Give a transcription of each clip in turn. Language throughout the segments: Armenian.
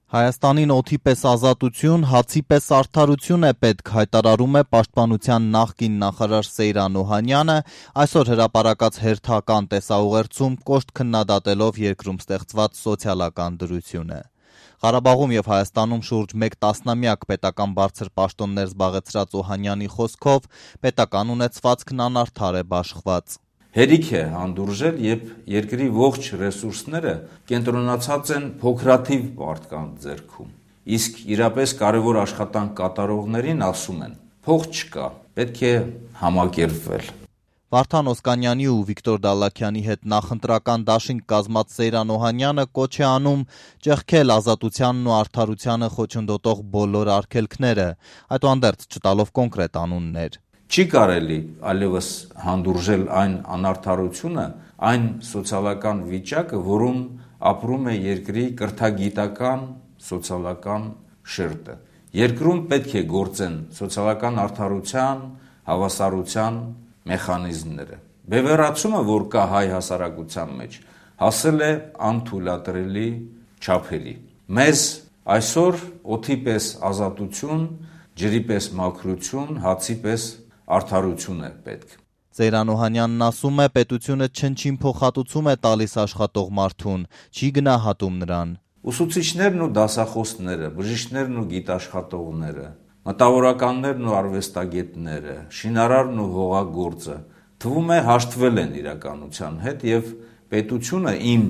Հայաստանին օդի պես ազատություն, հացի պես արդարություն է պետք, հայտարարում է Պաշտպանության նախկին նախարար Սեյրան Օհանյանը, այսօր հրապարակած հերթական տեսաուղերձում կոշտ քննադատելով երկրում ստեղծված սոցիալական դրությունը։ Ղարաբաղում եւ Հայաստանում շուրջ 1 տասնամյակ պետական բարձր պաշտոններ զբաղեցրած Օհանյանի խոսքով պետական ունեցվածքն անարդար է բաշխված։ Հերիք է հանդուրժել, երբ երկրի ողջ ռեսուրսները կենտրոնացած են փոքրաթիվ մարդկանց ձեռքում, իսկ իրապես կարևոր աշխատանք կատարողներին ասում են՝ փող չկա, պետք է համակերպվել։ Վարդան Օսկանյանի ու Վիկտոր Դալլաքյանի հետ նախընտրական դաշինք կազմած Սեյրան Օհանյանը կոչ է անում ճեղքել ազատությանն ու արդարությանը խոչընդոտող բոլոր արգելքները, այդուհանդերձ չտալով կոնկրետ անուններ։ Չի կարելի այլևս հանդուրժել այն անարդարությունը, այն սոցիալական վիճակը, որում ապրում է երկրի կրթագիտական, սոցիալական շերտը։ Երկրում պետք է գործեն սոցիալական արդարության, հավասարության մեխանիզմները։ Բևեռացումը, որ կա հայ հասարակության մեջ, հասել է անթույլատրելի չափերի։ Մեզ այսօր օդի պես ազատություն, ջրի պես մաքրություն, հացի պես արդարություն է պետք։ Սեյրան Օհանյանն ասում է, պետությունը չնչին փոխհատուցում է տալիս աշխատող մարդուն, չի գնահատում նրան։ Ուսուցիչներն ու դասախոսները, բժիշկներն ու գիտաշխատողները, մտավորականներն ու արվեստագետները, շինարարն ու հողագործը թվում է հաշտվել են իրականության հետ եւ պետությունը իմ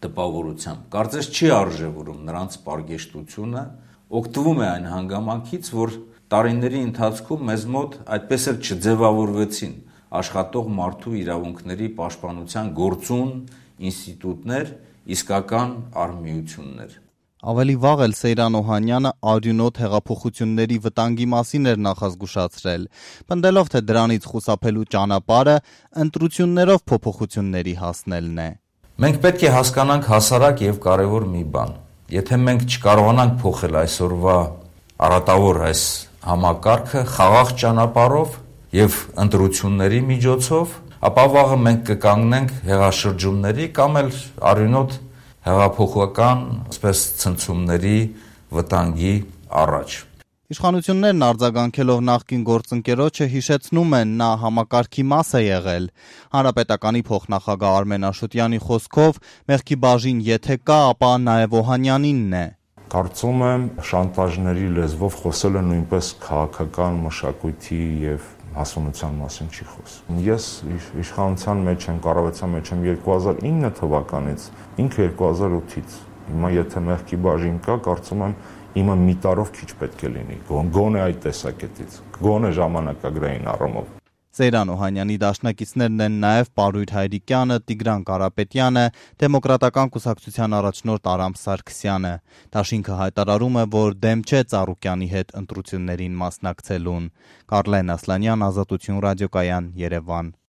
տպավորությամբ կարծես չի արժևորում նրանց պարգեշտությունը, օգտվում է այն հանգամանքից, որ տարիների ընթացքում մեզ մոտ այդպես էլ չձևավորվեցին աշխատող մարդու իրավունքների պաշտպանության գործուն ինստիտուտներ, իսկական արմիություններ։ Ավելի վաղ էլ Սեյրան Օհանյանը արյունոտ հեղափոխությունների վտանգի մասին էր նախազգուշացրել, պնդելով, թե դրանից խուսափելու ճանապարհը ընտրություններով փոփոխությունների հասնելն է։ Մենք պետք է հասկանանք հասարակ եւ կարեւոր մի բան։ Եթե մենք չկարողանանք փոխել այսօրվա առատավոր այս համակարգը խաղաղ ճանապարհով եւ ընտրությունների միջոցով, ապա վաղը մենք կկանգնենք հեղաշրջումների կամ էլ արյունոտ հեղափոխական, ասես ցնցումների վտանգի առաջ։ Իշխանություններն արձագանքելով նախկին գործընկերոջը հիշեցնում են, նա համակարգի մաս է եղել։ Հանրապետականի փոխնախագահ Արմեն Աշոտյանի խոսքով մեղքի բաժին եթե կա, ապա նաև Օհանյանինն է։ Կարծում եմ շանտաժների լեզվով խոսելը նույնպես քաղաքական մշակույթի եւ հասունության մասին չի խոսում։ Ես իշխանության մեջ եմ, կառավարության մեջ եմ 2009 թվականից, ինքը 2008-ից։ Հիմա եթե մեղքի բաժին կա, կարծում եմ իմը մի տարով քիչ պետք է լինի, գոնե այդ տեսակետից, գոնե ժամանակագրային առումով։ Սեյրան Օհանյանի դաշնակիցներն են նաև Պարույր Հայրիկյանը, Տիգրան Կարապետյանը, Դեմոկրատական կուսակցության առաջնորդ Արամ Սարգսյանը։ Դաշինքը հայտարարում է, որ դեմ չէ Ծառուկյանի հետ ընտրություններին մասնակցելուն։ Կարլեն Ասլանյան, Ազատություն ռադիոկայան, Երևան։